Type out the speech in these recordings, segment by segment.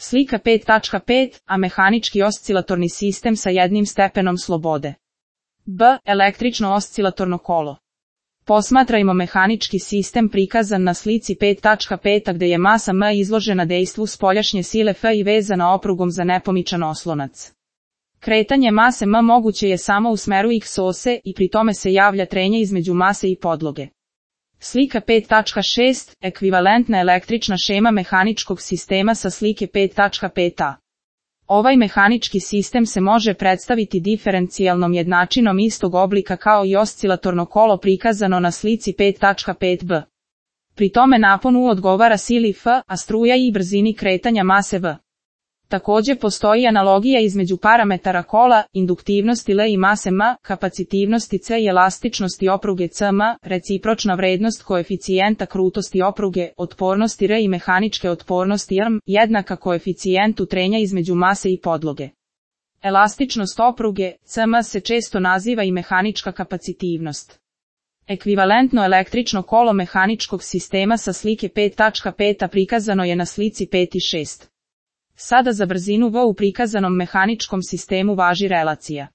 Slika 5.5, a mehanički oscilatorni sistem sa jednim stepenom slobode. B. Električno oscilatorno kolo. Posmatrajmo mehanički sistem prikazan na slici 5.5 gde je masa M izložena dejstvu spoljašnje sile F i vezana oprugom za nepomičan oslonac. Kretanje mase M moguće je samo u smeru x ose i pri tome se javlja trenje između mase i podloge. Slika 5.6, ekvivalentna električna šema mehaničkog sistema sa slike 5.5a. Ovaj mehanički sistem se može predstaviti diferencijalnom jednačinom istog oblika kao i oscilatorno kolo prikazano na slici 5.5b. Pri tome napon U odgovara sili F, a struja I brzini kretanja mase V. Takođe postoji analogija između parametara kola, induktivnosti L i mase M, kapacitivnosti C i elastičnosti opruge CM, recipročna vrednost koeficijenta krutosti opruge, otpornosti R i mehaničke otpornosti RM, jednaka koeficijentu trenja između mase i podloge. Elastičnost opruge, CM se često naziva i mehanička kapacitivnost. Ekvivalentno električno kolo mehaničkog sistema sa slike 5.5 prikazano je na slici 5.6. Sada za brzinu V u prikazanom mehaničkom sistemu važi relacija.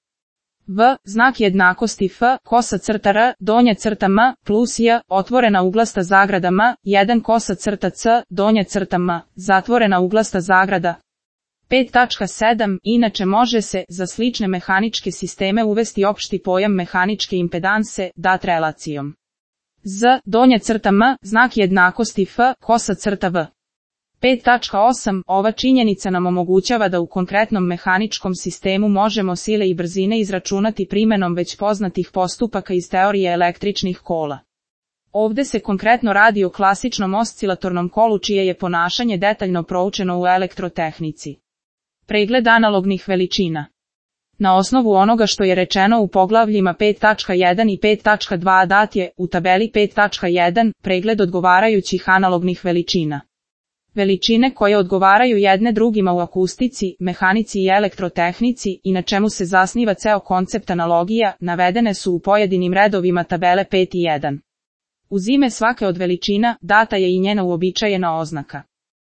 V, znak jednakosti F, kosa crta R, donja crta M, plus J, otvorena uglasta zagrada M, 1 kosa crta C, donja crta M, zatvorena uglasta zagrada. 5.7, inače može se, za slične mehaničke sisteme uvesti opšti pojam mehaničke impedanse, dat relacijom. Z, donja crta M, znak jednakosti F, kosa crta V. 5.8, ova činjenica nam omogućava da u konkretnom mehaničkom sistemu možemo sile i brzine izračunati primenom već poznatih postupaka iz teorije električnih kola. Ovde se konkretno radi o klasičnom oscilatornom kolu čije je ponašanje detaljno proučeno u elektrotehnici. Pregled analognih veličina. Na osnovu onoga što je rečeno u poglavljima 5.1 i 5.2 dat je, u tabeli 5.1, pregled odgovarajućih analognih veličina. Veličine koje odgovaraju jedne drugima u akustici, mehanici i elektrotehnici i na čemu se zasniva ceo koncept analogija, navedene su u pojedinim redovima tabele 5 i 1. Uz ime svake od veličina, data je i njena uobičajena oznaka.